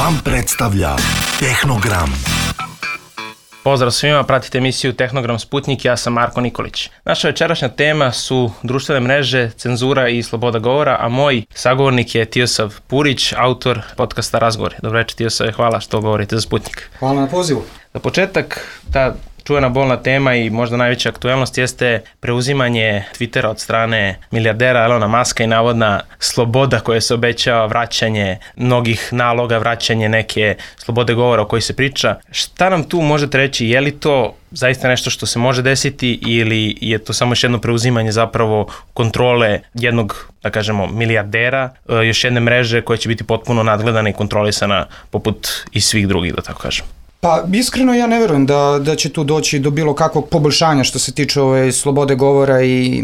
Dram predstavlja Tehnogram. Pozdrav svima, pratite emisiju Tehnogram Sputnik, ja sam Marko Nikolić. Naša večerašnja tema su društvene mreže, cenzura i sloboda govora, a moj sagovornik je Tijosav Purić, autor podcasta Razgovori. Dobro večer Tijosave, hvala što govorite za Sputnik. Hvala na pozivu. Za početak, ta čuvena bolna tema i možda najveća aktuelnost jeste preuzimanje Twittera od strane milijardera Elona Muska i navodna sloboda koja se obećava, vraćanje mnogih naloga, vraćanje neke slobode govora o kojoj se priča. Šta nam tu možete reći? Je li to zaista nešto što se može desiti ili je to samo još jedno preuzimanje zapravo kontrole jednog, da kažemo, milijardera, još jedne mreže koja će biti potpuno nadgledana i kontrolisana poput i svih drugih, da tako kažem? Pa iskreno ja ne verujem da će tu doći do bilo kakvog poboljšanja što se tiče slobode govora i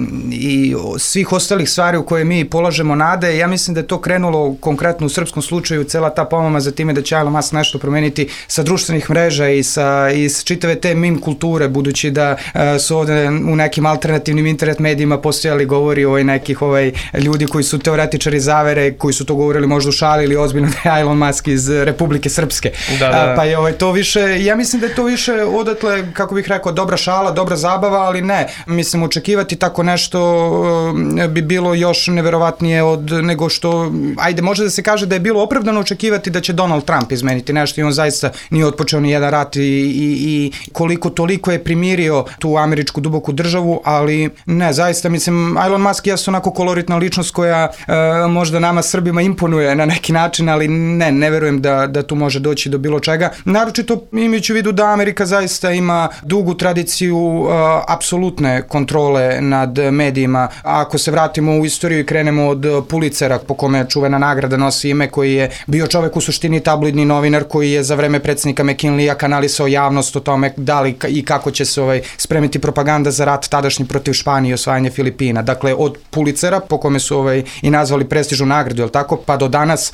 svih ostalih stvari u koje mi polažemo nade. Ja mislim da je to krenulo konkretno u srpskom slučaju, cela ta pomama za time da će Elon Musk nešto promeniti sa društvenih mreža i sa čitave te meme kulture, budući da su ovde u nekim alternativnim internet medijima postojali govori nekih ljudi koji su teoretičari zavere, koji su to govorili možda u šali ili ozbiljno da je Elon Musk iz Republike Srpske. Da. Pa je to ja mislim da je to više odatle, kako bih rekao, dobra šala, dobra zabava, ali ne. Mislim, očekivati tako nešto bi bilo još neverovatnije nego što, ajde, može da se kaže da je bilo opravdano očekivati da će Donald Trump izmeniti nešto i on zaista nije otpočeo ni jedan rat i koliko toliko je primirio tu američku duboku državu, ali ne, zaista, mislim, Elon Musk je onako koloritna ličnost koja možda nama Srbima imponuje na neki način, ali ne verujem da tu može doći do bilo čega. Naročito imajući u vidu da Amerika zaista ima dugu tradiciju apsolutne kontrole nad medijima. Ako se vratimo u istoriju i krenemo od Pulitzera, po kome čuvena nagrada nosi ime, koji je bio čovek u suštini tabloidni novinar koji je za vreme predsjednika McKinleya kanalisao javnost o tome da li i kako će se spremiti propaganda za rat tadašnji protiv Španije i osvajanje Filipina. Dakle, od Pulitzera, po kome su i nazvali prestižnu nagradu, je li tako, pa do danas,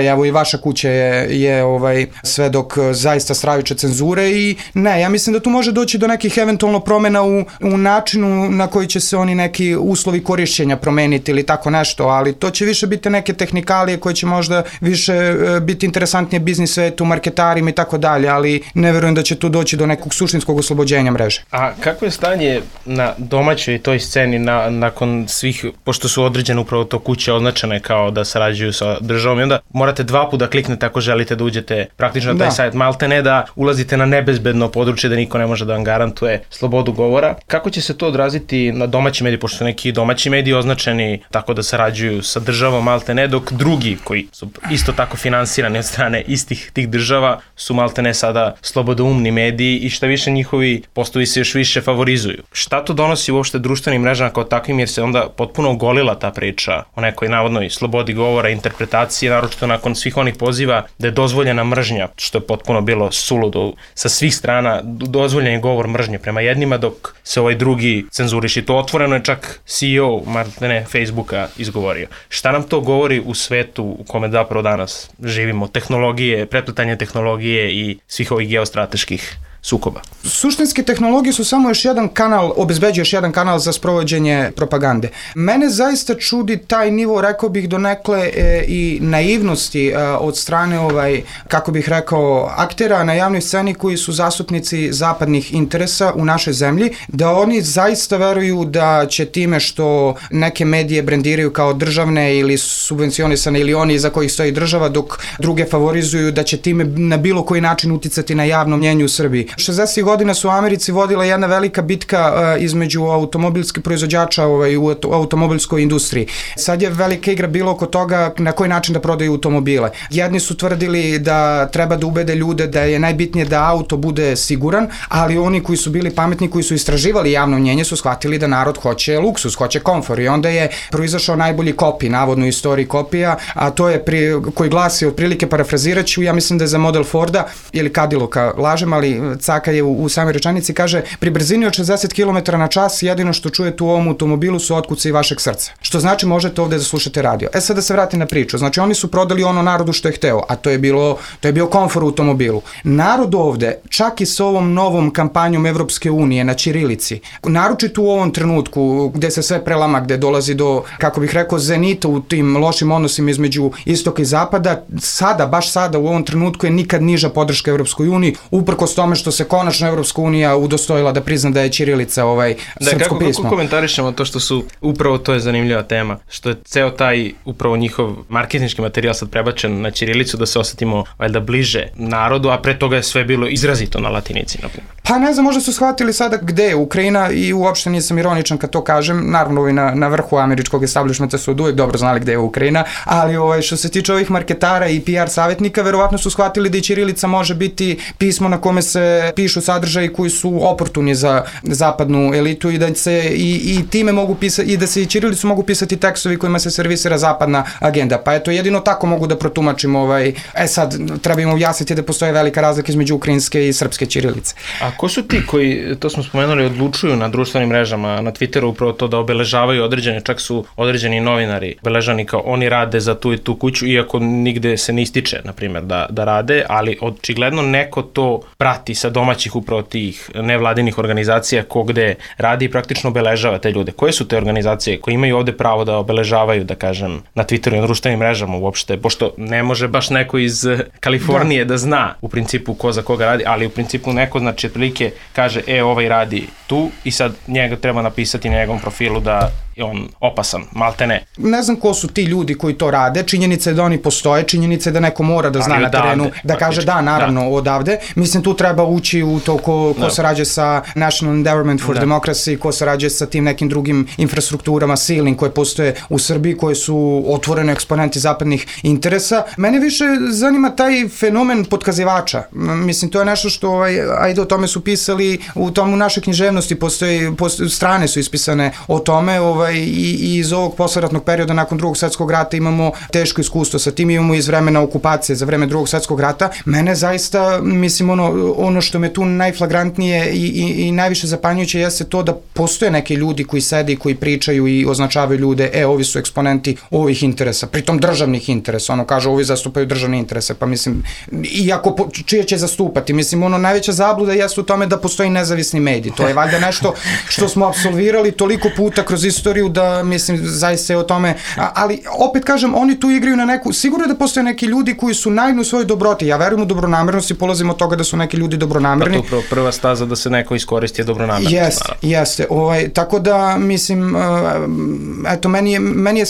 evo i vaša kuća je svedok zaista stravične cenzure i ne, ja mislim da tu može doći do nekih eventualno promjena u načinu na koji će se oni neki uslovi korišćenja promeniti ili tako nešto, ali to će više biti neke tehnikalije koje će možda više biti interesantnije biznis svetu, marketarima i tako dalje, ali ne verujem da će tu doći do nekog suštinskog oslobođenja mreže. A kako je stanje na domaćoj toj sceni nakon svih, pošto su određene upravo to kuće označene kao da sarađuju sa državom i onda morate dva puta kliknete ako želite da uđete praktično na taj sajt, malte ne da ulazite na nebezbedno područje da niko ne može da vam garantuje slobodu govora. Kako će se to odraziti na domaći mediji, pošto su neki domaći mediji označeni tako da sarađuju sa državom, malte ne, dok drugi koji su isto tako finansirani od strane istih tih država su malte ne sada slobodoumni mediji i šta više njihovi postovi se još više favorizuju. Šta to donosi uopšte društvenim mrežama kao takvim, jer se onda potpuno ogolila ta priča o nekoj navodnoj slobodi govora, interpretacije, naročito nakon svih onih poziva da je dozvoljena mržnja, što je potpuno bilo suludo. Sa svih strana dozvoljen je govor mržnje prema jednima, dok se drugi cenzuriši. To otvoreno je čak CEO Facebooka izgovorio. Šta nam to govori u svetu u kome zapravo danas živimo? Tehnologije, prepletanje tehnologije i svih ovih geostrateških sukoba. Suštinske tehnologije su samo još jedan kanal, obezbeđuje još jedan kanal za sprovođenje propagande. Mene zaista čudi taj nivo, rekao bih donekle i naivnosti od strane kako bih rekao, aktera na javnoj sceni koji su zastupnici zapadnih interesa u našoj zemlji, da oni zaista veruju da će time što neke medije brendiraju kao državne ili subvencionisane ili oni iza kojih stoji država, dok druge favorizuju, da će time na bilo koji način uticati na javno mnjenje u Srbiji. 60. godina su u Americi vodila jedna velika bitka između automobilskih proizvođača u automobilskoj industriji. Sad je velika igra bilo oko toga na koji način da prodaju automobile. Jedni su tvrdili da treba da ubede ljude da je najbitnije da auto bude siguran, ali oni koji su bili pametni, koji su istraživali javno mnjenje, su shvatili da narod hoće luksus, hoće komfor i onda je proizašao najbolji kopij, navodno u istoriji kopija, a to je koji glasi otprilike, parafraziraću, ja mislim da je za model Forda ili Cadillacka, lažem, ali caka je u samoj rečanici, kaže pri brzini od 60 km na čas jedino što čujete u ovom automobilu su otkuci vašeg srca. Što znači možete ovde da slušate radio. Sad da se vratim na priču. Znači oni su prodali ono narodu što je hteo, a to je bio komfor u automobilu. Narod ovde, čak i s ovom novom kampanjom Evropske unije na ćirilici, naročito u ovom trenutku gde se sve prelama, gde dolazi do, kako bih rekao, zenita u tim lošim odnosima između istoka i zapada, baš sada u ovom trenutku je nikad niža podrška Evropskoj uniji, uprkos tome što se konačno Evropska unija udostojila da prizna da je ćirilica srpsko pismo. Kako komentarišemo to što su, upravo to je zanimljiva tema, što je ceo taj upravo njihov marketinški materijal sad prebačen na ćirilicu da se osetimo valjda bliže narodu, a pre toga je sve bilo izrazito na latinici, na primjer. Pa ne znam, možda su shvatili sada gde je Ukrajina i uopšte nisam ironičan kad to kažem, naravno na vrhu američkog establishmenta su od uvek dobro znali gde je Ukrajina, ali što se tiče ovih marketara i PR savjetnika, verovatno su shvatili da i ćirilica može biti pismo na kome se pišu sadržaji koji su oportuni za zapadnu elitu i da se i time mogu pisati, i da se i ćirilicu mogu pisati tekstovi kojima se servisira zapadna agenda. Pa eto, jedino tako mogu da protumačim sad treba im objasniti da postoje velika razlika između ukrajinske i srpske ćirilice. A ko su ti koji, to smo spomenuli, odlučuju na društvenim mrežama, na Twitteru upravo to da obeležavaju određene, čak su određeni novinari obeležani kao oni rade za tu i tu kuću, iako nigde se ne ističe, na primjer, da rade, ali očigledno neko to prati sa domaćih upravo tih nevladinih organizacija ko gde radi i praktično obeležava te ljude. Koje su te organizacije koje imaju ovde pravo da obeležavaju, da kažem, na Twitteru i na društvenim mrežama uopšte, pošto ne može baš neko iz Kalifornije da zna u principu ko za koga radi, ali u principu neko, znači, otprilike kaže, ovaj radi tu i sad njega treba napisati na njegovom profilu da je on opasan, malte ne. Ne znam ko su ti ljudi koji to rade, činjenica je da oni postoje, činjenica je da neko mora da zna na terenu, da kaže da, naravno, odavde. Mislim, tu treba ući u to ko sarađuje sa National Endowment for Democracy, ko sarađuje sa tim nekim drugim infrastrukturama silnim koje postoje u Srbiji, koje su otvorene eksponenti zapadnih interesa. Mene više zanima taj fenomen potkazivača. Mislim, to je nešto što, ajde, o tome su pisali, u našoj književnosti postoje strane su ispisane o tome, i iz ovog posleratnog perioda nakon Drugog svetskog rata imamo teško iskustvo sa tim, imamo iz vremena okupacije za vreme Drugog svetskog rata. Mene zaista, mislim, ono što me tu najflagrantnije i najviše zapanjujuće jeste to da postoje neki ljudi koji sede i koji pričaju i označavaju ljude, ovi su eksponenti ovih interesa, pritom državnih interesa, kažu ovi zastupaju državne interese, pa mislim, iako čije će zastupati, mislim, najveća zabluda jeste u tome da postoji nezavisni medij, to je valjda nešto što smo apsolvirali toliko puta kroz istoriju da, mislim, zaista je o tome, ali opet kažem, oni tu igraju na neku, sigurno da postoje neki ljudi koji su naivni u svojoj dobroti, ja verujem u dobronamernost i polazim od toga da su neki ljudi dobronamerni. Pa to prva staza da se neko iskoristi je dobronamernost. Jeste, tako da, mislim, eto, meni je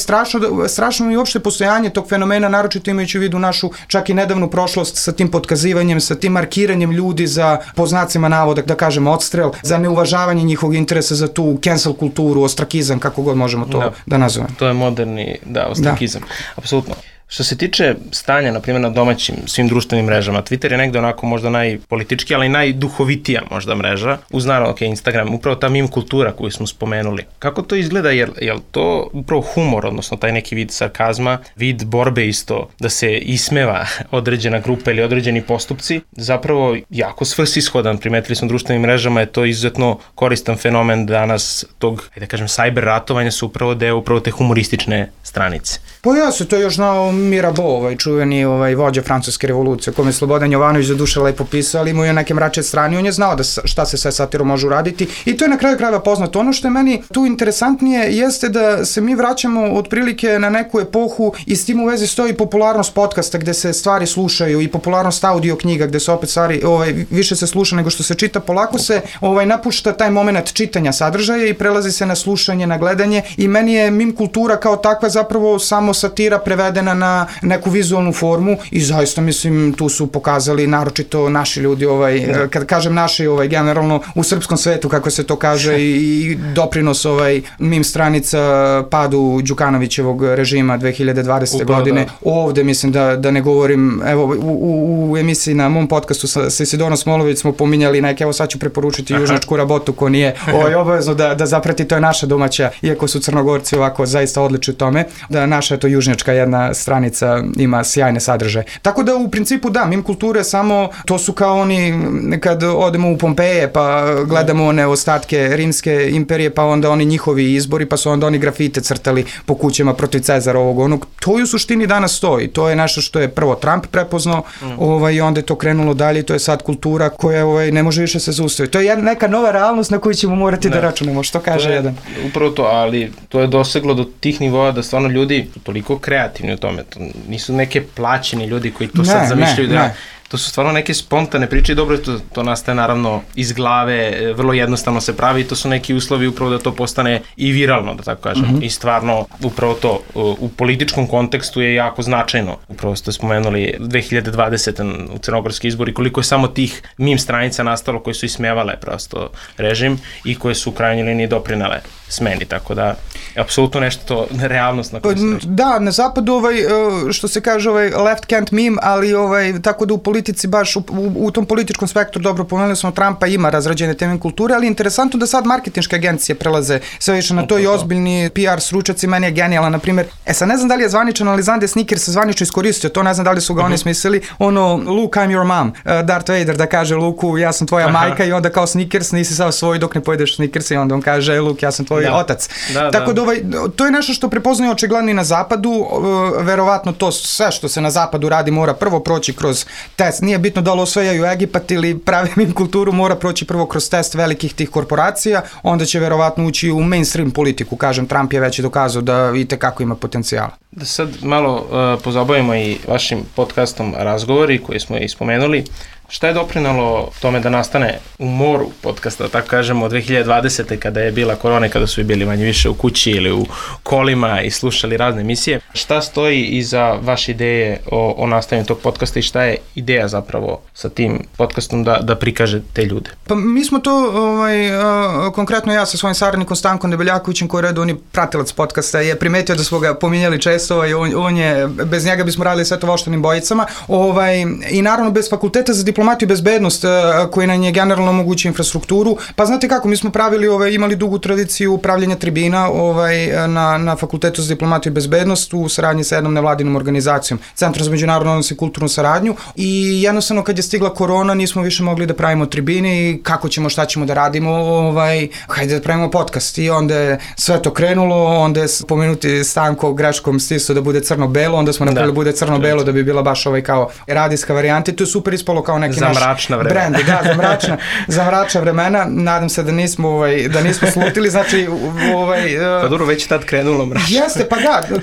strašno i uopšte postojanje tog fenomena, naročito imajući u vidu našu čak i nedavnu prošlost sa tim potkazivanjem, sa tim markiranjem ljudi za, po znacima navoda, da kažem, odstrel, za neuvažavanje njihovog interesa za tu cancel kulturu, ostrakizam, kako god možemo to da nazovemo. To je moderni, ostrakizam. Apsolutno. Što se tiče stanja, na primjer, na domaćim svim društvenim mrežama, Twitter je negde onako možda najpolitički, ali i najduhovitija možda mreža, uz naravno Instagram, upravo ta meme kultura koju smo spomenuli. Kako to izgleda, je to upravo humor, odnosno taj neki vid sarkazma, vid borbe isto, da se ismeva određena grupa ili određeni postupci, zapravo jako svrsishodan, primetili smo društvenim mrežama, je to izuzetno koristan fenomen danas tog, da kažem, cyber ratovanja su upravo deo upravo te humoristične stranice. Pa ja se to još znao Mirabeau, čuveni vođa francuske revolucije, kome je Slobodan Jovanović za duše lepo pisao, ali imao je neke mračne strane, on je znao šta se sve satirom može uraditi i to je na kraju krajeva poznato. Ono što je meni tu interesantnije jeste da se mi vraćamo otprilike na neku epohu i s tim u vezi stoji popularnost podcasta gde se stvari slušaju i popularnost audio knjiga gde se opet stvari više se sluša nego što se čita. Polako se napušta taj moment čitanja sadržaja i prelazi se na slušanje, na gledanje i meni je meme kultura kao takva zapravo samo satira prevedena na neku vizualnu formu i zaista, mislim, tu su pokazali naročito naši ljudi, kad kažem naši, generalno u srpskom svetu, kako se to kaže, i doprinos meme stranica padu Đukanovićevog režima 2020. godine. Ovde, mislim, da ne govorim, evo, u emisiji na mom podcastu sa Isidorom Smolović smo pominjali neke, evo sad ću preporučiti Južnjačku rabotu ko nije obavezno da zaprati, to je naša domaća, iako su Crnogorci ovako zaista odlični u tome, da naša je to Južnjačka jedna strana stranica ima sjajne sadržaje. Tako da u principu da, mim kulture samo, to su kao oni kad odemo u Pompeje pa gledamo one ostatke rimske imperije, pa onda oni njihovi izbori, pa su onda oni grafite crtali po kućama protiv Cezara ovog onog. To u suštini danas stoji. To je nešto što je prvo Trump prepoznao, i onda je to krenulo dalje, to je sad kultura koja ne može više se zaustaviti. To je neka nova realnost na koju ćemo morati da računamo, što kaže jedan. Upravo to, ali to je doseglo do tih nivoa da stvarno ljudi toliko kreativni u tome. To nisu neke plaćeni ljudi koji to sad zamišljaju to su stvarno neke spontane priče i dobro, to nastaje naravno iz glave, vrlo jednostavno se pravi i to su neki uslovi upravo da to postane i viralno, da tako kažem. I stvarno upravo to u političkom kontekstu je jako značajno. Upravo ste spomenuli 2020. u crnogorski izbori, koliko je samo tih meme stranica nastalo koje su ismevale prosto režim i koje su u krajnjoj liniji doprinele smeni, tako da apsolutno nešto realnost na koju se reći. Da, na zapadu što se kaže left can't meme, ali tako da u politici baš u tom političkom spektru, dobro pomenuli smo Trumpa, ima razrađene teme kulture, ali interesantno da sad marketinške agencije prelaze sve više na to i ozbiljni PR stručnjaci, meni je genijalan, na primjer, sad ne znam da li je zvaničan, ali znam da je Snickers zvanično iskoristio to, ne znam da li su ga oni smislili, Luke, I'm your mom, Darth Vader da kaže Luku, ja sam tvoja majka i onda kao Snickers, nisi sav svoj dok ne pojedeš Snickers i onda on kaže Luke, ja sam tvoj otac. Tako da to je nešto što prepoznaju očigledno i na zapadu, verovatno to sve što se na zapadu radi mora prvo proći kroz test, nije bitno da li osvajaju Egipat ili pravi mim kulturu, mora proći prvo kroz test velikih tih korporacija, onda će verovatno ući u mainstream politiku, kažem, Trump je već dokazao da itekako ima potencijala. Da sad malo pozabavimo i vašim podcastom Razgovori koji smo i spomenuli. Šta je doprinalo tome da nastane u moru podcasta, tako kažemo, od 2020. kada je bila korona, kada su bili manje više u kući ili u kolima i slušali razne emisije? Šta stoji iza vaše ideje o nastajanju tog podcasta i šta je ideja zapravo sa tim podcastom da prikaže te ljude? Pa mi smo to, konkretno ja sa svojim saradnikom Stankom Debeljakovićem, koji je redovni pratilac podcasta, je primetio da smo ga pominjali često i on je, bez njega bismo radili sve to voštanim bojicama, i naravno bez fakulteta za diplomatiju i bezbednost koji nam je generalno omogući infrastrukturu. Pa znate kako, mi smo imali dugu tradiciju upravljanja tribina na Fakultetu za diplomatiju i bezbednost u saradnji sa jednom nevladinom organizacijom, Centrom za međunarodne odnose i kulturnu saradnju, i jednostavno kad je stigla korona nismo više mogli da pravimo tribine i kako ćemo, šta ćemo da radimo, hajde da pravimo podcast, i onda je sve to krenulo, onda je pomenuti Stanko greškom stisao da bude crno-belo, onda smo napravili bude crno-belo da bi bila baš kao radijska varijanta i to je super ispalo kao neki za mračna vremena. Brand, za mračna vremena. Nadam se da nismo slutili, znači pa dobro, već tad krenulo mračno. Jeste, pa da,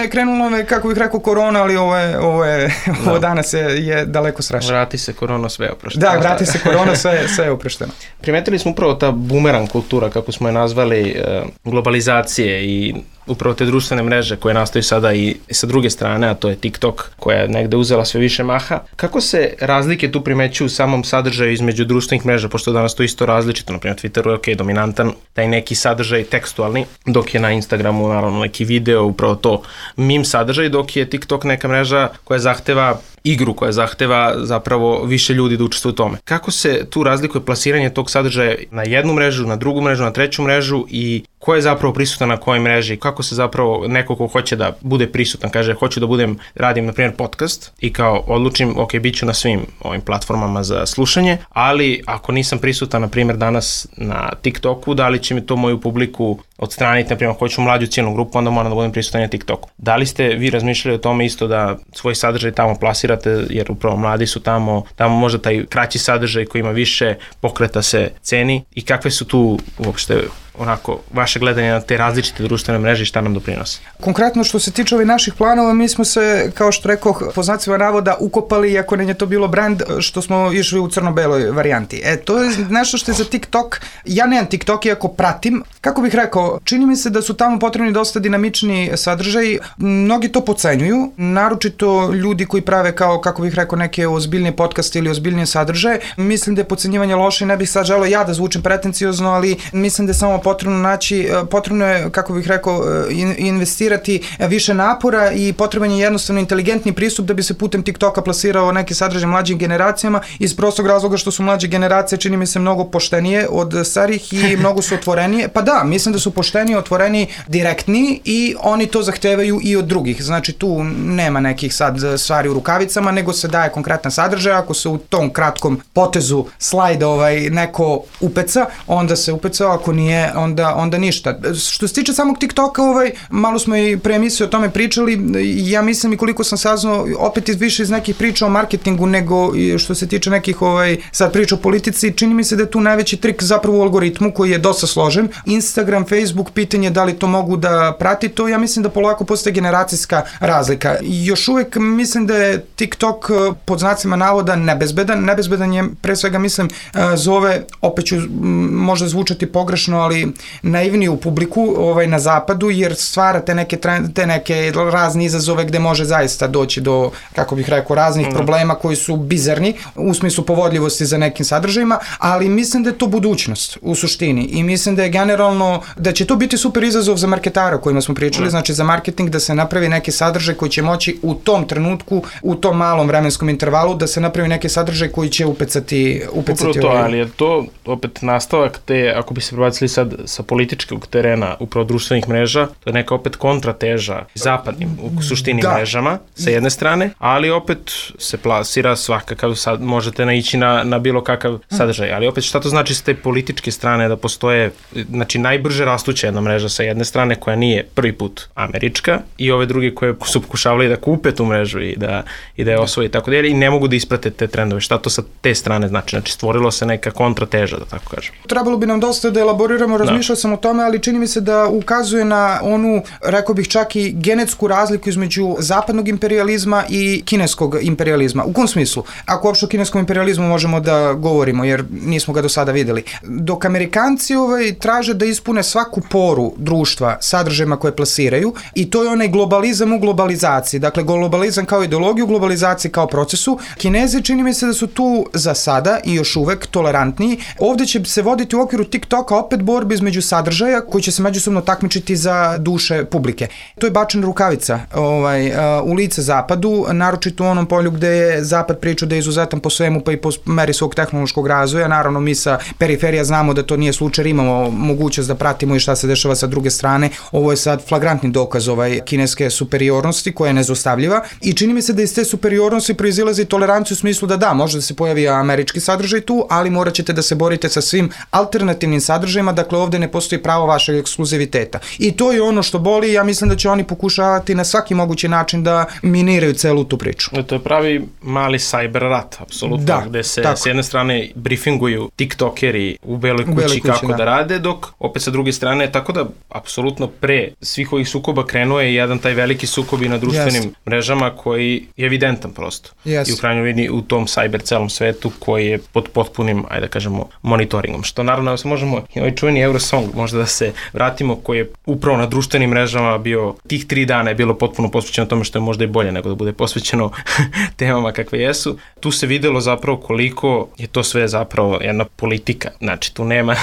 krenulo je, kako bih rekao, korona, ali ovo danas je daleko strašno. Vrati se korona, sve je oprošteno. Da, vrati se korona, sve je oprošteno. Primetili smo upravo ta bumerang kultura, kako smo je nazvali, globalizacije i upravo te društvene mreže koje nastaju sada i sa druge strane, a to je TikTok, koja je negde uzela sve više maha. Kako se razlike tu primećuju u samom sadržaju između društvenih mreža, pošto danas to isto različito, naprimjer Twitteru je dominantan taj neki sadržaj tekstualni, dok je na Instagramu naravno neki video, upravo to meme sadržaj, dok je TikTok neka mreža koja zahteva igru, koja zahteva zapravo više ljudi da učestvuju u tome. Kako se tu razlikuje plasiranje tog sadržaja na jednu mrežu, na drugu mrežu, na treću mrežu i ko je zapravo prisutan na kojoj mreži? Kako se zapravo neko ko hoće da bude prisutan, kaže hoću da radim na primjer podcast i kao odlučim, ok, bit ću na svim ovim platformama za slušanje, ali ako nisam prisutan na primjer danas na TikToku, da li će mi to moju publiku odstraniti, na primjer hoću mlađu ciljnu grupu, onda moram da budem prisutan na TikToku. Da li ste vi razmišljali o tome isto da svoj sadržaj tamo plasirate, jer upravo mladi su tamo možda taj kraći sadržaj koji ima više pokreta se ceni i kakve su tu uopšte onako vaše gledanje na te različite društvene mreže i šta nam doprinosi? Konkretno što se tiče ovih naših planova, mi smo se, kao što rekoh, po znacima navoda ukopali, iako ne je to bilo brand, što smo išli u crno-beloj varijanti. To je nešto što je za TikTok, ja nemam TikTok iako pratim, kako bih rekao, čini mi se da su tamo potrebni dosta dinamični sadržaj, mnogi to pocenjuju, naročito ljudi koji prave kao, kako bih rekao, neke ozbiljnije podcaste ili ozbiljnije sadržaje. Mislim da je pocenjivanje loše i ne bih sad želeo ja da zvučem pretenciozno, ali mislim da je samo potrebno naći, potrebno je, kako bih rekao, investirati više napora i potreban je jednostavno inteligentni pristup da bi se putem TikToka plasirao neki sadržaj mlađim generacijama iz prostog razloga što su mlađe generacije, čini mi se, mnogo poštenije od starih i mnogo su otvorenije. Pa da, mislim da su pošteniji, otvoreniji, direktniji i oni to zahtevaju i od drugih. Znači tu nema nekih sad stvari u rukavicama, nego se daje konkretan sadržaj. Ako se u tom kratkom potezu slajda neko upeca, onda se upecao, ako nije, onda ništa. Što se tiče samog TikToka, malo smo i pre emisije o tome pričali, ja mislim i koliko sam saznao, opet više iz nekih priča o marketingu nego što se tiče nekih sad priča o politici, čini mi se da je tu najveći trik zapravo u algoritmu koji je dosta složen. Instagram, Facebook, pitanje da li to mogu da prati to, ja mislim da polako postaje generacijska razlika. Još uvek mislim da je TikTok pod znacima navoda nebezbedan je, pre svega mislim, zove, opet ću možda zvučati pogrešno, ali naivniju publiku na zapadu, jer stvara te neke razne izazove gde može zaista doći do, kako bih rekao, raznih problema koji su bizarni u smislu povodljivosti za nekim sadržajima, ali mislim da je to budućnost u suštini i mislim da je generalno, da će to biti super izazov za marketara o kojima smo pričali, znači za marketing, da se napravi neki sadržaj koji će moći u tom trenutku, u tom malom vremenskom intervalu, da se napravi neki sadržaj koji će upecati upravo to, ali je to opet nastavak te, ako bi se prebacili sad sa političkog terena, upravo društvenih mreža, to je neka opet kontrateža zapadnim u suštini mrežama sa jedne strane, ali opet se plasira svakakav, sad možete naići na bilo kakav sadržaj, ali opet šta to znači sa te političke strane da postoje, znači najbrže rastuća jedna mreža sa jedne strane koja nije prvi put američka i ove druge koje su pokušavali da kupe tu mrežu i da je osvoje i tako dalje i ne mogu da isprate te trendove. Šta to sa te strane znači? Znači stvorilo se neka kontrateža, da tako kažem. Trebalo bi nam dosta da elaboriramo, razmišljao sam o tome, ali čini mi se da ukazuje na onu, rekao bih čak i genetsku razliku između zapadnog imperijalizma i kineskog imperijalizma. U kom smislu? Ako uopšte o kineskom imperijalizmu možemo da govorimo, jer nismo ga do sada videli. Dok Amerikanci traže da ispune svaku poru društva sadržajima koje plasiraju i to je onaj globalizam u globalizaciji. Dakle, globalizam kao ideologiju, globalizaciji kao procesu. Kinezi čini mi se da su tu za sada i još uvek tolerantniji. Ovde će se voditi u okviru TikToka opet borbe između sadržaja koji će se međusobno takmičiti za duše publike. To je bačena rukavica u lice zapadu, naročito u onom polju gde je zapad pričao da je izuzetan po svemu pa i po meri svog tehnološkog razvoja. Naravno, mi sa periferija znamo da to nije slučaj, imamo mogućnost da pratimo i šta se dešava sa druge strane. Ovo je sad flagrantni dokaz kineske superiornosti koja je nezostavljiva i čini mi se da iz te superiornosti proizilazi toleranciju u smislu da može da se pojavi američki sadržaj tu, ali morat ćete da se borite sa svim alternativnim sadržajima, dakle ovde ne postoji pravo vašeg ekskluziviteta. I to je ono što boli i ja mislim da će oni pokušavati na svaki mogući način da miniraju celu tu priču. To je pravi mali cyber rat, apsolutno, gde se s jedne strane briefinguju tiktokeri u beloj kući kako da rade, dok opet sa druge strane, tako da apsolutno pre svih ovih sukoba krenuo je jedan taj veliki sukob i na društvenim mrežama koji je evidentan prosto. I u krajnjoj liniji u tom cyber celom svetu koji je pod potpunim, ajde da kažemo, monitoringom. Što naravno se možemo, i ovaj čuveni Eurosong, možda da se vratimo, koji je upravo na društvenim mrežama bio, tih 3 dana je bilo potpuno posvećeno tome što je možda i bolje nego da bude posvećeno temama kakve jesu. Tu se videlo zapravo koliko je to sve zapravo jedna politika. Znači, tu nema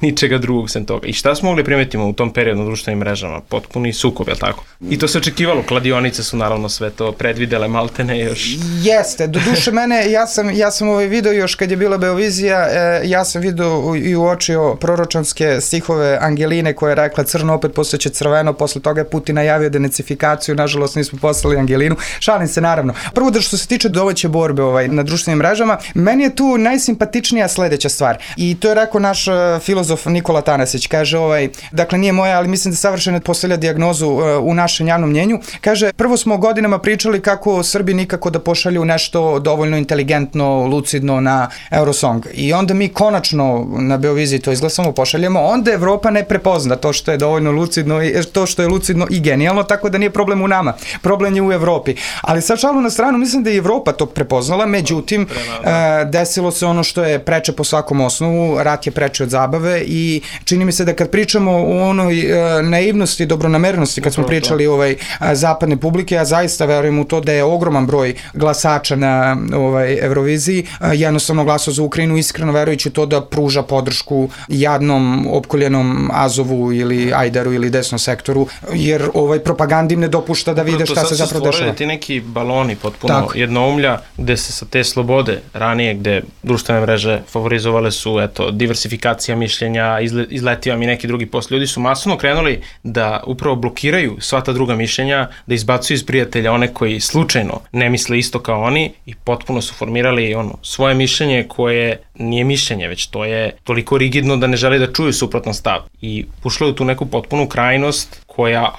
ničega drugog sem toga. I šta smo mogli primetimo u tom periodu na društvenim mrežama? Potpuni sukob, je li tako? I to se očekivalo, kladionice su naravno sve to predvidele, maltene još. Jeste, do duše mene, ja sam video još kad je bila Beovizija, ja sam video i uočio proročanske stihove Angeline koja je rekla crno opet postaće crveno, posle toga je Putin najavio denациfikaciju, nažalost nismo poslali Angelinu. Šalim se naravno. Prvo da što se tiče domaće borbe na društvenim mrežama, meni je tu najsimpatičnija sledeća stvar. I to je rekao naš filozof Nikola Tanasić, kaže dakle nije moja, ali mislim da savršeno postavlja dijagnozu u našem javnom mnjenju. Kaže, prvo smo godinama pričali kako Srbi nikako da pošalju nešto dovoljno inteligentno, lucidno na Eurosong. I onda mi konačno na Beoviziji to izglasamo, pošaljemo, onda Evropa ne prepozna to što je dovoljno lucidno, to što je lucidno i genijalno, tako da nije problem u nama. Problem je u Evropi. Ali sad šalu na stranu, mislim da je Evropa to prepoznala, međutim, desilo se ono što je preče po svakom osnovu, rat je preče od zabave i čini mi se da kad pričamo o onoj naivnosti, dobronamernosti, kad smo pričali zapadne publike, ja zaista verujem u to da je ogroman broj glasača na Euroviziji jednostavno glasao za Ukrajinu, iskreno verujući to da pruža podršku jadnom opkoljenom Azovu ili Ajdaru ili desnom sektoru, jer propaganda im ne dopušta da vide šta se zapravo dešava. To ti neki baloni potpuno jednoumlja, gde se sa te slobode ranije, gde društvene mreže favorizovale su diversifikacija mišljenja, izletio vam i neki drugi post. Ljudi su masovno krenuli da upravo blokiraju sva ta druga mišljenja, da izbacuju iz prijatelja one koji slučajno ne misle isto kao oni i potpuno su formirali svoje mišljenje koje nije mišljenje, već to je toliko rigidno da ne žele da čuju suprotan stav. I ušlo je tu neku potpunu krajnost koja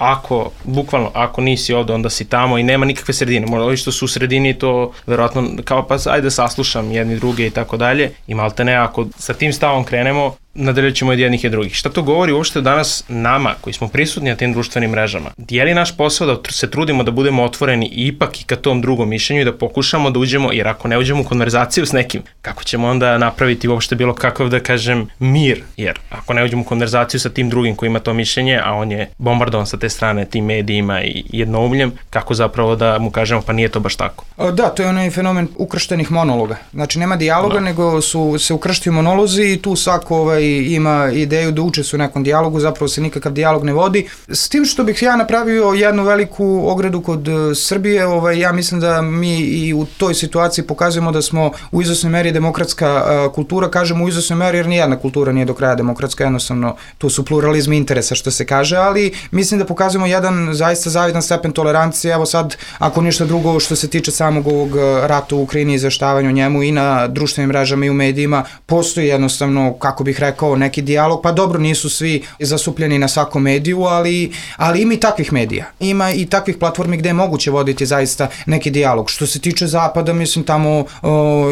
bukvalno ako nisi ovde, onda si tamo i nema nikakve sredine. Možda ovi što su u sredini to verovatno kao pa ajde saslušam jedni druge i tako dalje i malte ne, ako sa tim stavom krenemo, nadalje ćemo od jednih i drugih. Šta to govori uopšte danas nama koji smo prisutni na tim društvenim mrežama? Je li naš posao da se trudimo da budemo otvoreni ipak i ka tom drugom mišljenju i da pokušamo da uđemo, jer ako ne uđemo u konverzaciju s nekim, kako ćemo onda napraviti uopšte bilo kakav, da kažem, mir? Jer ako ne uđemo u konverzaciju sa tim drugim koji ima to mišljenje, a on je bombardovan sa te strane tim medijima i jednoumljem, kako zapravo da mu kažemo pa nije to baš tako? Da, to je onaj fenomen ukrštenih monologa. Znači nema dijaloga, nego su se ukrštili monolozi i tu svako ima ideju da učestvuje u nekom dijalogu, zapravo se nikakav dijalog ne vodi. S tim što bih ja napravio jednu veliku ogradu kod Srbije, ja mislim da mi i u toj situaciji pokazujemo da smo u izvesnoj meri demokratska kultura, kažemo u izvesnoj meri jer nijedna kultura nije do kraja demokratska, jednostavno tu su pluralizmi interesa što se kaže, ali mislim da pokazujemo jedan zaista zavidan stepen tolerancije. Evo sad, ako ništa drugo što se tiče samog ovog rata u Ukrajini i izveštavanju njemu i na društvenim mrežama i u medijima, postoji jednostavno, kako bih rekao, neki dijalog, pa dobro, nisu svi zasupljeni na svakom mediju, ali ima i takvih medija. Ima i takvih platformi gde je moguće voditi zaista neki dijalog. Što se tiče Zapada, mislim, tamo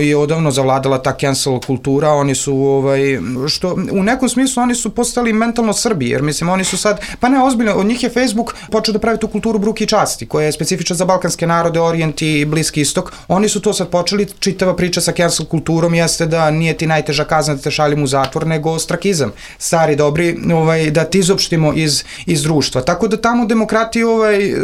je odavno zavladala ta cancel kultura, oni su, što u nekom smislu oni su postali mentalno Srbi, jer mislim, oni su sad, pa ne, ozbiljno, od njih je Facebook počeo da pravi tu kulturu bruke i časti, koja je specifična za balkanske narode, Orijent i Bliski istok. Oni su to sad počeli, čitava priča sa cancel kulturom jeste da nije ti najteža kazna da te šaljim u zatvor, nego ostrakizam, stari dobri, da ti izopštimo iz društva. Tako da tamo demokratija,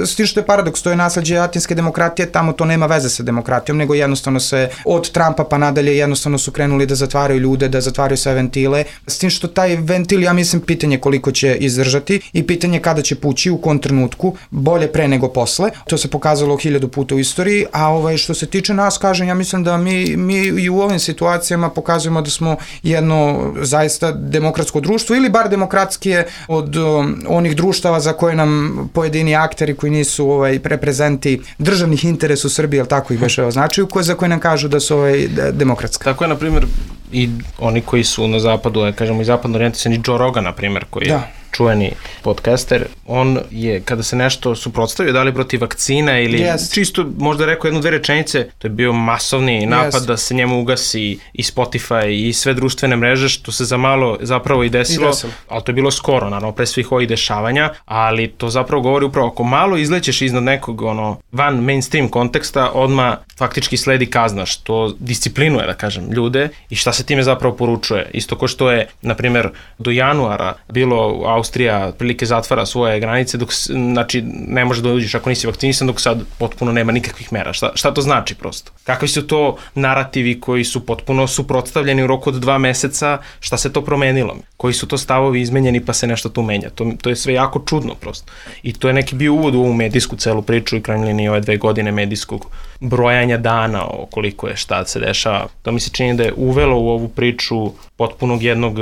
s tim što je paradoks, to je nasleđe atinske demokratije, tamo to nema veze sa demokratijom, nego jednostavno se od Trumpa pa nadalje jednostavno su krenuli da zatvaraju ljude, da zatvaraju sve ventile, s tim što taj ventil, ja mislim, pitanje koliko će izdržati i pitanje kada će pući, u kom trenutku, bolje pre nego posle. To se pokazalo 1000 puta u istoriji, a što se tiče nas, kažem, ja mislim da mi i u ovim situacijama pokazujemo da smo jedno zaista demokratsko društvo ili bar demokratskije od onih društava za koje nam pojedini akteri koji nisu reprezenti državnih interesa u Srbiji, ali tako ih već označuju, za koje nam kažu da su demokratska. Tako je, na primjer, i oni koji su na zapadu, kažemo i zapadno orijentisani, Joe Rogan, na primjer, koji je čuveni podcaster, on je, kada se nešto suprotstavio, da li protiv vakcina ili čisto možda rekao 1-2 rečenice, to je bio masovni napad da se njemu ugasi i Spotify i sve društvene mreže, što se za malo zapravo i desilo, ali to je bilo skoro, naravno, pre svih ovih dešavanja, ali to zapravo govori upravo, ako malo izlećeš iznad nekog van mainstream konteksta, odmah faktički sledi kazna, što disciplinuje, da kažem, ljude i šta se time zapravo poručuje. Isto ko što je, na primjer, do januara bilo Austrija prilike zatvara svoje granice, znači ne može da uđeš ako nisi vakcinisan, dok sad potpuno nema nikakvih mera. Šta to znači prosto? Kakvi su to narativi koji su potpuno suprotstavljeni u roku od 2 meseca, šta se to promenilo? Koji su to stavovi izmenjeni pa se nešto tu menja? To je sve jako čudno prosto. I to je neki bio uvod u ovu medijsku celu priču i krajnje linije ove 2 godine medijskog brojanja dana o koliko je šta se dešava. To mi se čini da je uvelo u ovu priču potpunog jednog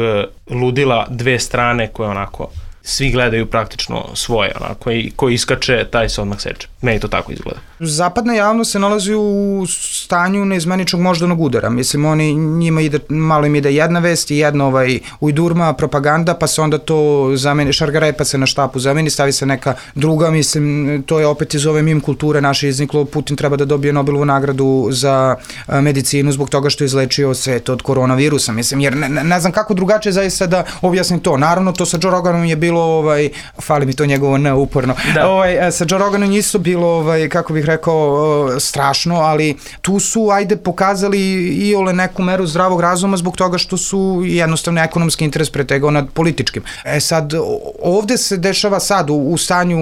ludila 2 strane koje onako svi gledaju praktično svoje, onako, i ko iskače, taj se odmah seče. Meni to tako izgleda. Zapadna javnost se nalazi u stanju neizmeničnog moždanog udara. Mislim, njima malo im ide jedna vest i jedna ujdurma, propaganda, pa se onda to zameni, šargarepa se na štapu zameni, stavi se neka druga, mislim, to je opet iz ove mim kulture naše izniklo, Putin treba da dobije Nobelovu nagradu za medicinu zbog toga što je izlečio svet od koronavirusa, mislim, jer ne znam kako drugačije zaista da objasnim to. Naravno, to sa Joe Roganom je bilo bilo, fali mi to njegovo neuporno, sa Joe Roganom isto bilo, kako bih rekao, strašno, ali tu su, pokazali i neku meru zdravog razuma zbog toga što su jednostavno ekonomski interes pretegao nad političkim. Sad, ovde se dešava sad u stanju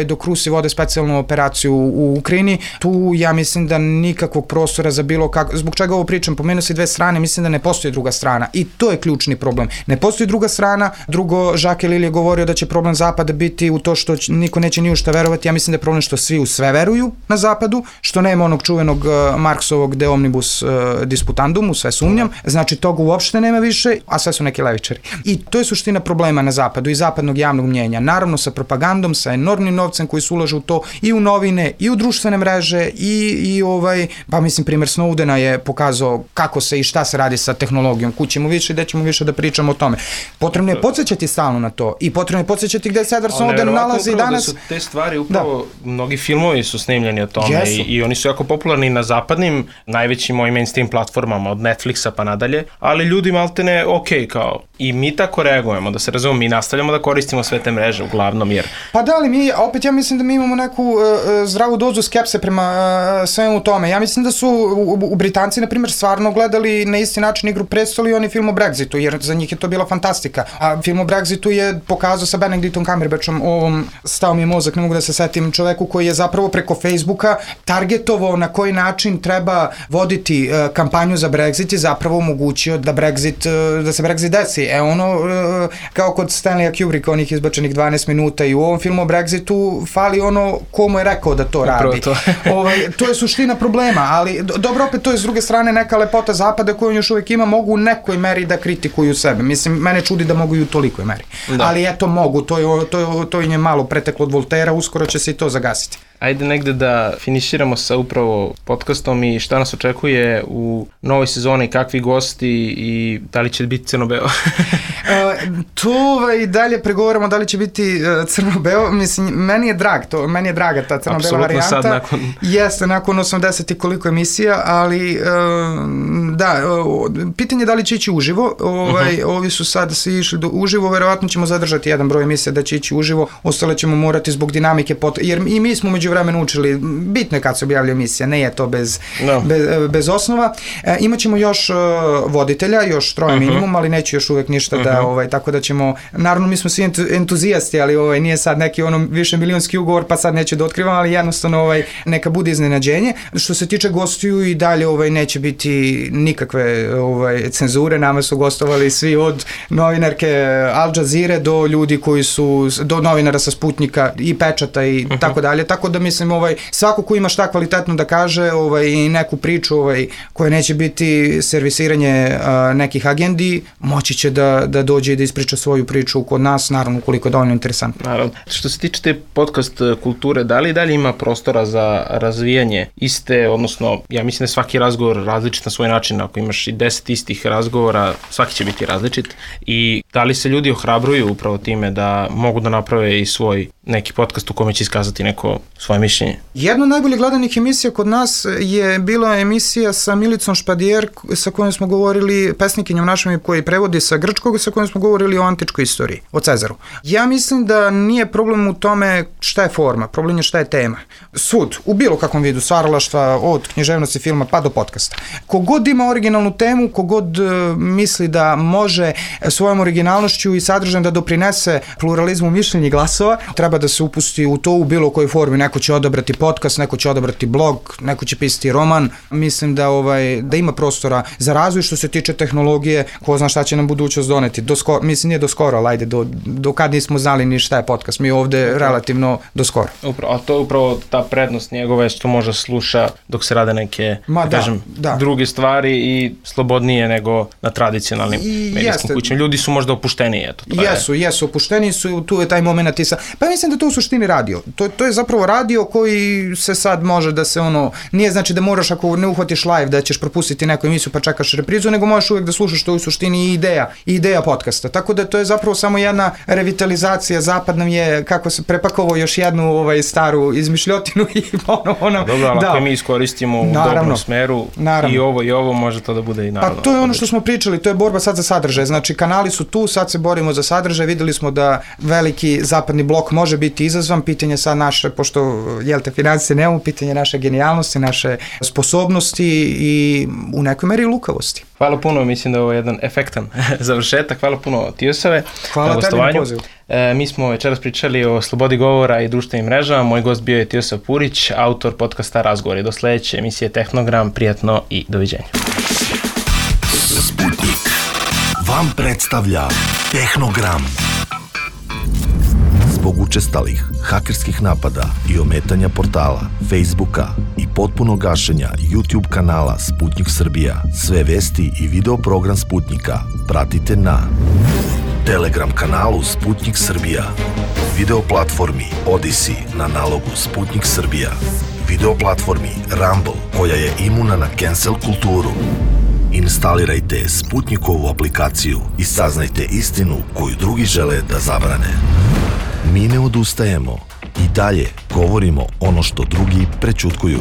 dok Rusi vode specijalnu operaciju u Ukrajini, tu ja mislim da nikakvog prostora za bilo kako, zbog čega ovo pričam, pomenuo se dve strane, mislim da ne postoji druga strana i to je ključni problem. Ne postoji druga strana, drugo, Jacques Ellul je govorio da će problem Zapada biti u to što niko neće ni u šta verovati, ja mislim da je problem što svi u sve veruju na Zapadu, što nema onog čuvenog Marksovog de omnibus disputandum, u sve sumnjam, znači toga uopšte nema više, a sve su neki levičari. I to je suština problema na Zapadu i zapadnog javnog mnjenja. Naravno sa propagandom, sa enormnim novcem koji se ulaže u to i u novine, i u društvene mreže, pa mislim primjer Snowdena je pokazao kako se i šta se radi sa tehnologijom. Kućemo više i gde ćemo više da pričamo o tome. Potrebno je podsjećati stalno na to i potrebno je podsjećati gde se Edward Snowden nalazi danas. Da su te stvari upravo, mnogi filmovi su snimljeni o tome i oni su jako popularni na zapadnim, najvećim mojim mainstream platformama, od Netflixa pa nadalje, ali ljudi maltene kao i mi tako reagujemo, da se razumemo, mi nastavljamo da koristimo sve te mreže uglavnom, jer... Pa da, ali opet ja mislim da mi imamo neku zdravu dozu skepse prema svemu tome. Ja mislim da su u Britanci, na primjer, stvarno gledali na isti način Igru prestola i oni film o Brexitu, jer za njih je to bila fantastika. A film o Brexitu je pokazao sa Benedictom Cumberbatchom, stao mi je mozak, ne mogu da se setim, čoveku koji je zapravo preko Facebooka targetovao na koji način treba voditi kampanju za Brexit i zapravo omogućio da se Brexit desi. Kao kod Stanleya Kubricka, onih izbačenih 12 minuta i u ovom filmu o Brexitu fali ko mu je rekao da to radi. To je suština problema, ali dobro, opet to je s druge strane neka lepota Zapada koju on još uvijek ima, mogu u nekoj meri da kritikuju sebe. Mislim, mene čudi da mogu i u tolikoj meri. Ali eto mogu, to im je malo preteklo od Voltera, uskoro će se i to zagasiti. Ajde negde da finiširamo sa upravo podcastom i šta nas očekuje u novoj sezoni, kakvi gosti i da li će biti crno-beo? To i dalje pregovaramo da li će biti crno-beo. Mislim, meni je draga ta crno-bela varijanta. Apsolutno sad nakon... Jeste, nakon 80 i koliko emisija, ali da, pitanje je da li će ići uživo. Ovi su sad svi išli uživo, verovatno ćemo zadržati jedan broj emisija da će ići uživo, ostale ćemo morati zbog dinamike, jer i mi smo među vremenu učili, bitno je kad se objavlja emisija, ne je to bez osnova. Imaćemo još voditelja, još 3 minimum, ali neću još uvek ništa da, tako da ćemo, naravno mi smo svi entuzijasti, ali nije sad neki više milionski ugovor, pa sad neću da otkrivam, ali jednostavno neka bude iznenađenje. Što se tiče gostiju i dalje neće biti nikakve cenzure, nama su gostovali svi od novinarke Al Jazeere do ljudi koji su, do novinara sa Sputnika i Pečata i tako dalje, tako da mislim svako ko ima šta kvalitetno da kaže i neku priču koja neće biti servisiranje nekih agendi, moći će da dođe i da ispriča svoju priču kod nas, naravno ukoliko je dovoljno interesantno. Naravno. Što se tiče te podcast kulture, da li dalje ima prostora za razvijanje iste, odnosno ja mislim da je svaki razgovor različit na svoj način, ako imaš i 10 istih razgovora, svaki će biti različit i da li se ljudi ohrabruju upravo time da mogu da naprave i svoj neki podcast u kome će iskazati neko svoje mišljenje? Jedna od najbolje gledanih emisija kod nas je bila emisija sa Milicom Špadijer, sa kojom smo govorili, pesnikinjom našom koji prevodi sa grčkog, sa kojom smo govorili o antičkoj istoriji, o Cezaru. Ja mislim da nije problem u tome šta je forma, problem je šta je tema. Sud, u bilo kakvom vidu stvaralaštva, od književnosti, filma pa do podcasta. Kogod ima originalnu temu, kogod misli da može svojom originalnošću i sadržajem da doprinese pluralizmu mišljenja i glasova, treba da se upusti u to u bilo kojoj formi. Neko će odabrati podcast, neko će odabrati blog, neko će pisati roman. Mislim da ima prostora za razvoj što se tiče tehnologije, ko zna šta će nam budućnost doneti. Mislim, nije do skoro, ali ajde, do kad nismo znali ni šta je podcast. Mi ovde relativno do skoro. A to je upravo ta prednost njegove što može sluša dok se rade neke, druge stvari i slobodnije nego na tradicionalnim medijskim kućama. Ljudi su možda opušteniji, eto. Jesu, opušteniji su, tu je taj moment pa mislim mislim da to u suštini radio. To je zapravo radio koji se sad može da se nije znači da moraš ako ne uhvatiš live da ćeš propustiti neku emisiju pa čekaš reprizu, nego možeš uvijek da slušaš to u suštini i ideja podcasta. Tako da to je zapravo samo jedna revitalizacija. Zapad nam je, kako se prepakovao još jednu staru izmišljotinu i ono. Dobro, ali ako mi iskoristimo u dobrom smeru i ovo može to da bude i naravno. Pa to je ono što smo pričali, to je borba sad za sadržaj. Znači kanali su tu, sad se borimo za sadržaj, videli smo da veliki zapadni blok može biti izazvan, pitanje sad naše, pošto financije nemamo, pitanje naše genijalnosti, naše sposobnosti i u nekoj meri lukavosti. Hvala puno, mislim da je ovo jedan efektan završetak. Hvala puno Tijosave. Hvala tebi na pozivu. Mi smo večeras pričali o slobodi govora i društvenim mrežama. Moj gost bio je Tijosav Purić, autor podcasta Razgovori. Do sledeće emisije Tehnogram, prijatno i doviđenja. Sputnik vam predstavlja Tehnogram. Zbog učestalih hakerskih napada i ometanja portala, Facebooka i potpuno gašenja YouTube kanala Sputnik Srbija, sve vesti i video program Sputnika pratite na Telegram kanalu Sputnik Srbija, video platformi Odyssey na nalogu Sputnik Srbija, video platformi Rumble koja je imuna na cancel kulturu. Instalirajte Sputnikovu aplikaciju i saznajte istinu koju drugi žele da zabrane. Mi ne odustajemo i dalje govorimo ono što drugi prećutkuju.